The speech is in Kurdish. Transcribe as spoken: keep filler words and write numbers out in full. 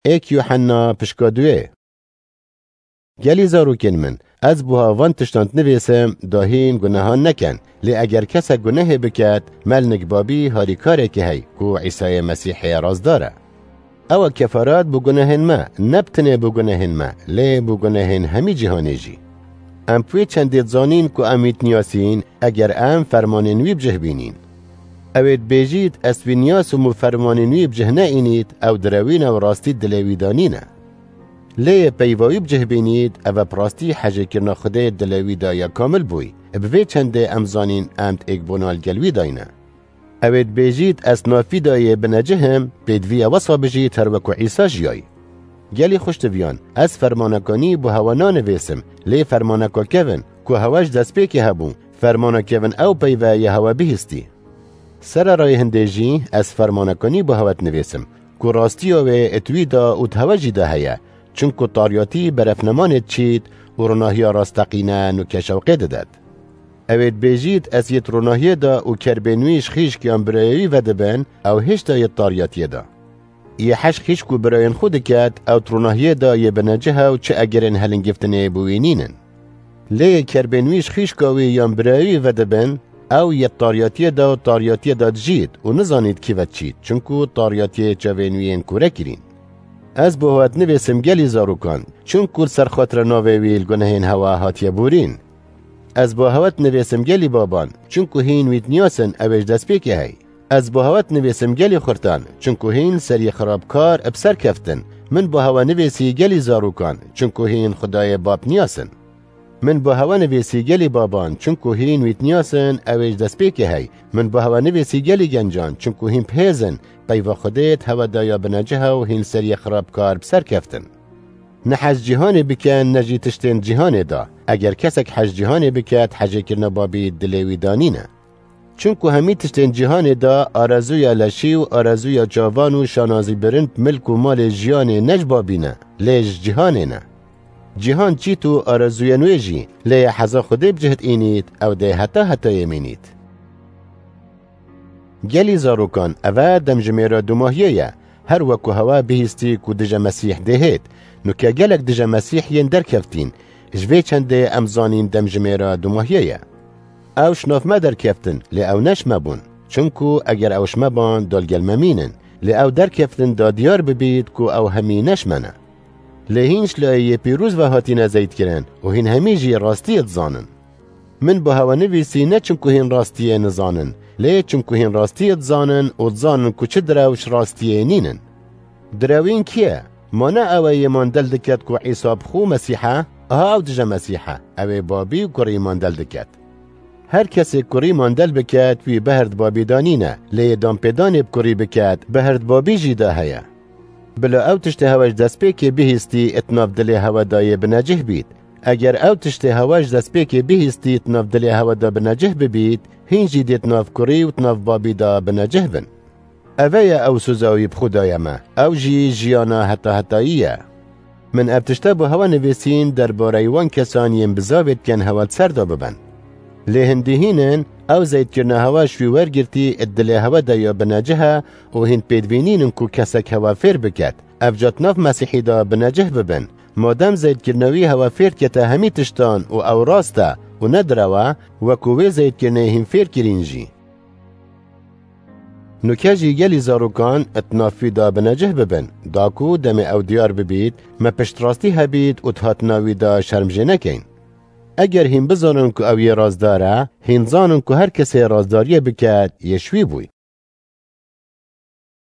Êk Yuhanna pişka duê. Gelî zarokên min, ez buha van tiştan dinivîsim, da hîn gunehan neken. Lê eger kesek gunehê biket, melnik babî harîkarekê hey, ku Îsayê Mesîhê rastdar e. Ew e kefaret bo gunehên me, ne bi tenê bo gunehên me, lê bo gunehên hemî cîhanê jî. Em bi wê çendê dizanîn ku em wî diniyasîn, eger em fermanên wî bi cih bînîn. Ew ê dibêjît, ez wî niyas û min fermanên wî bi cih neînît, ew direwîn ew rastî dilê wî de nîne. Lê yê peyva wî bi cih bînît, ev e bi rastî hejêkirina Xwedê dilê wî de ya kamil bûy. Bi vê çendê em zanîn em di êkbûna li gel wî de yîne. Ew ê dibêjît, ez nav wî de yê binecih im, pêdivî ye wesa bijît her weku Îsa jiyayî. Gelî xweştiviyan, ez fermanekanî bo hewe nanivêsim, lê fermaneka kevin, ku hewe ji destpêkê hebû, fermana kevin ew peyve yê hewe bihîstî. Sererayê hindê jî ez fermanekanî bo hewe dinivêsim, ku rastiya wê di wî de û di hewe jî de heye, çinku tariyatî berefnemanê diçît û ronahiya rasteqîne nûke şewqê didet. Ew ê dibêjît, ez yê di ronahiyê de û kerbên wî ji xîşk yan birayê wî vedibin, ew hêşta yê di tariyatiyê de. Yê hej xîşk û birayên xwe diket, ew di ronahiyê de yê binecih e û çi egerên helingiftinê bo wî nînin. Lê yê kerbên wî ji xîşka wî yan birayê wî vedibin, ew yê di tariyatiyê de û tariyatiyê de dijît û nizanît kî ve diçît, çinku tariyatiyê çavên wî yên kûre kirîn. Ez bo hewe dinivêsim gelî zarokan, çinku li ser xatira navê wî li gunehên hewe hatiye borîn. Ez bo hewe dinivêsim gelî baban, çinku hîn wî diniyasin, ew ê ji destpêkê hey. Ez bo hewe dinivêsim gelî xurtan, çinku hîn seriyê xirabkar bi ser keftin. Min bo hewe nivêsî gelî zarokan, çinku hîn Xwedayê Bab niyasin. Min bo hewe nivêsî gelî baban, çinku hîn wî diniyasin, ew ê ji destpêkê hey. Min bo hewe nivêsî gelî gencan, çinku hîn bihêzin, peyva Xwedê di hewe de ya binecih e û hîn seriyê xirabkar bi ser keftin. Ne hej cîhanê bikin, ne jî tiştên cîhanê de. Eger kesek hej cîhanê biket, hejêkirina Babî dilê wî de nîne. Çinku hemî tiştên cîhanê de, arezûya leşî û arezûya çavan û şanazî birin bi milk û malê jiyanê ne ji Babî ne, lê ji cîhanê ne. Cîhan çît û arezûyên wê jî, lê yê heza Xwedê bi cih diînît, ew dê heta hetayê mînît. Gelî zarokan, ev e demjimêra dumahiyê ye. Her weku hewe bihîstî ku dije Mesîh dê hêt. Nuke gelek dije Mesîh yên derkeftîn. Ji vê çendê em zanîn demjimêra dumahiyê ye. Ew ji nav me derkeftin, lê ew ne ji me bûn. Çinku eger ew ji me ban, da li gel me mînin. Lê ew derkeftin da diyar bibît ku ew hemî ne ji me ne. Lê hîn ji layê yê pîroz ve hatine zeytkirin û hîn hemî jî rastiyê dizanin. Min bo hewe nivîsî ne çinku hîn rastiyê nizanin, lê çinku hîn rastiyê dizanin û dizanin ku çi direw ji rastiyê nînin. Direwîn kî ye? Ma ne ew e yê mandel diket ku Îsa bi xwe Mesîh e? Aha ew dije Mesîh e, ew ê Babî û Kurî mandel diket. Her kesê Kurî mandel biket, wî behir di Babî de nîne, lê yê danpêdanê bi Kurî biket, behir di Babî jî de heye. Bila ew tiştê hewe ji destpêkê bihîstî, di nav dilê hewe de yê binecih bît. Eger ew tiştê hewe ji destpêkê bihîstî, di nav dilê hewe de binecih bibît, hîn jî dê di nav Kurî û di nav Babî de binecih bin. Eve ye ew soza wî bi xwe daye me, ew jî jiyana heta hetayî ye. Min ev tişte bo hewe nivîsîn derbareyî wan kesan yên bizavê dikin hewe li ser de bibin. Lê hindî hîn in, ew zeytkirina hewe ji wî wergirtî di dilê hewe de ya binecih e û hîn pêdivî nînin ku kesek hewe fêr biket. Ev ca di nav Mesîhî de binecih bibin. Madem zeytkirina wî hewe fêr dikete hemî tiştan û ew rast e û ne direw e, weku wê zeytkirinê hîn fêr kirîn jî. Nuke jî gelî zarokan di nav wî de binecih bibin, da ku demê ew diyar bibît, me piştrastî hebît û di hatina wî de şerm jê nekeyn. Eger hîn bizanin ku ew yê rastdar e, hîn zanin ku her kesê rastdariyê biket, yê ji wî bûy.